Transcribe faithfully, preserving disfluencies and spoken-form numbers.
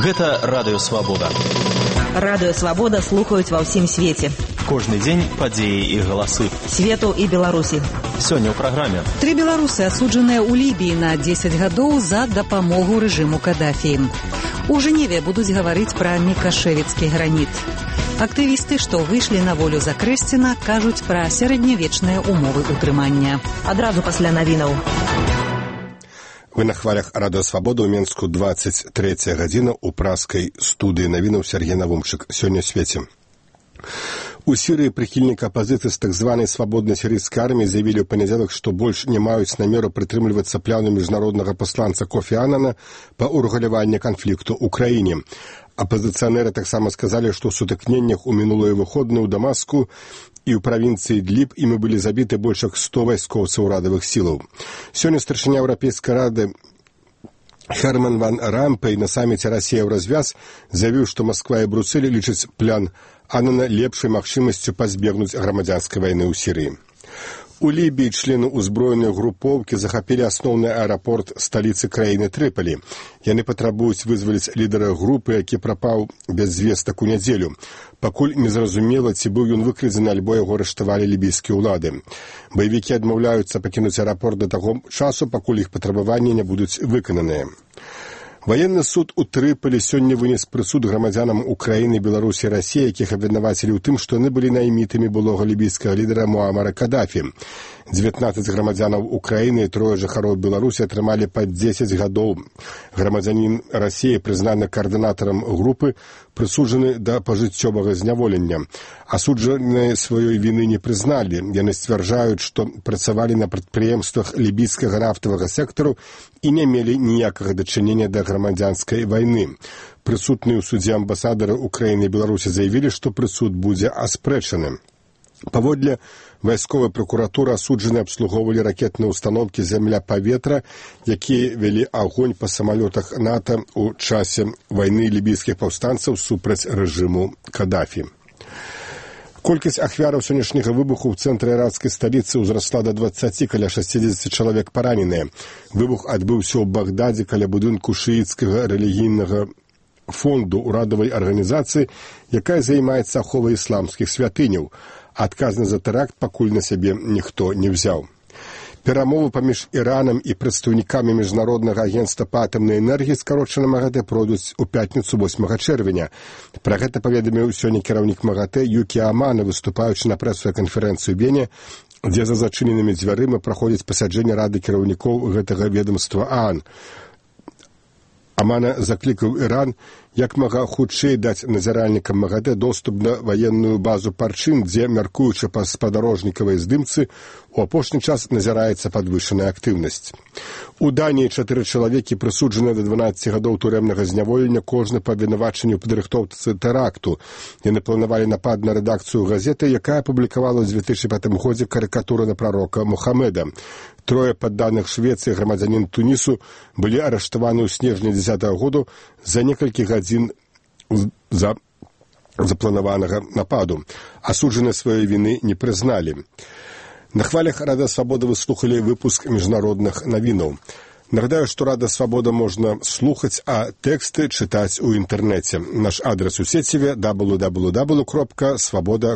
Гэта Радыё Свабода. Радыё Свабода слухаюць ва ўсім свеце. Кожны дзень падзеі і галасы. Свету і Беларусі. Сёння ў праграме. Тры беларусы асуджаныя ў Лібіі на дзесяць гадоў за дапамогу рэжыму Кадафі. У Жэневе будуць гаварыць пра мікашэвіцкі граніт. Актывісты, што выйшлі на волю за Крэсціна, кажуць пра сярэднявечныя умовы ўтрымання. Адразу пасля навінаў. Вы на хвалях Радыё Свабода ў Менску, двадцать третья гадзіна ў праскай студыі навінаў Сергей Навумчык. Сёння ў свеце. У Сірыі прыхільнікі апазіцыі з так званай свабоднай сірыйскай арміі заявілі ў панядзелак, што больш не маюць намеру прытрымлівацца плану міжнароднага пасланца Кофі Аннана па ўрэгуляванні канфлікту ў краіне. Апазіцыянеры таксама сказалі, што ў сутыкненнях у мінулыя выходныя ў Дамаску і ў правінцыі Ідліб імі былі забіты больш як сто вайскоўцаў урадавых сілаў. Сёння старшыня Еўрапейскай рады Херман ван Рампей на саміце «Расія ў развяз» заявіў, што Масква і Брусэль лічаць план Аннана лепшай магчымасцю пазбегнуць грамадзянскай вайны ў Сірыі. У Лібіі члены ўзброенай групоўкі захапілі асноўны аэрапорт сталіцы краіны Трыполі. Яны патрабуюць вызваліць лідара групы, які прапаў без звестак у нядзелю. Пакуль незразумела, ці быў ён выкрадзены, альбо яго арыштавалі лібійскія ўлады. Баевікі адмаўляюцца пакінуць аэрапорт да таго часу, пакуль іх патрабаванні не будуць выкананыя. Ваенны суд у Трыполі сёння вынес прысуд грамадзянам Украіны, Беларусі і Расіі, якіх абвінавацілі ў тым, што яны былі наймітамі былога лібійскага лідара Муамара Кадафі. дзевятнаццаць грамадзянаў Украіны і трое жыхароў Беларусі атрымалі па дзесяць гадоў. Грамадзянін Расіі, прызнаны каардынатарам групы, прысуджаны да пажыццёвага зняволення. Асуджаныя сваёй віны не прызналі. Яны сцвярджаюць, што працавалі на прадпрыемствах лібійскага нафтавага сектару і не мелі ніякага дачынення да грамадзянскай вайны. Прысутныя ў судзе амбасадары Украіны і Беларусі заявілі, што прысуд будзе аспрэчаны. Паводле вайсковай пракуратуры асуджаныя абслугоўвалі ракетныя ўстаноўкі зямля-паветра, якія вялі агонь па самалётах НАТО ў часе вайны лібійскіх паўстанцаў супраць рэжыму Кадафі. Колькасць ахвяраў сённяшняга выбуху ў цэнтры іракскай сталіцы ўзрасла да дваццаці, каля шэсцідзесят чалавек параненыя. Выбух адбыўся ў Багдадзе каля будынку шыіцкага рэлігійнага фонду ўрадавай арганізацыі, якая займаецца аховай ісламскіх святыняў. Адказны за тэракт пакуль на сябе ніхто не ўзяў. Перамовы паміж Іранам і прадстаўнікамі міжнароднага агенцтва па атамнай энергіі, скарочана МАГАТЭ, пройдуць у пятніцу восьмага чэрвеня. Пра гэта паведаміў сёння кіраўнік МАГАТЭ Юкі Амана, выступаючы на прэсавай канферэнцыі ў Бене, дзе за зачыненымі дзвярыма праходзіць пасяджэнне рады кіраўнікоў гэтага ведомства ААН. Амана заклікаў Іран як мага хутчэй даць назіральнікам МАГАТЭ доступ на ваенную базу Парчин, дзе, мяркуючы па спадарожнікавай здымцы, у апошні час назіраецца падвышаная актыўнасць. У Даніі чатыры чалавекі прысуджаны да дванаццаці гадоў турэмнага зняволення, кожны па абвінавачанні ў падрыхтоўцы тэракту. Яны планавалі напад на рэдакцыю газеты, якая апублікавала ў дзве тысячы пятым годзе карыкатуры на прарока Мухаммеда. Трое падданых Швецыі, грамадзянін Тунісу, былі арыштаваны ў снежні дзесятага году за некалькі гадзін за запланаванага нападу. Асуджаныя сваёй віны не прызналі. На хвалях Радыё Свабода вы слухалі выпуск міжнародных навінаў. Нагадаю, што Радыё Свабода можна слухаць, а тэксты чытаць у інтэрнэце. Наш адрас у сеціве дабл ю дабл ю дабл ю кропка свабода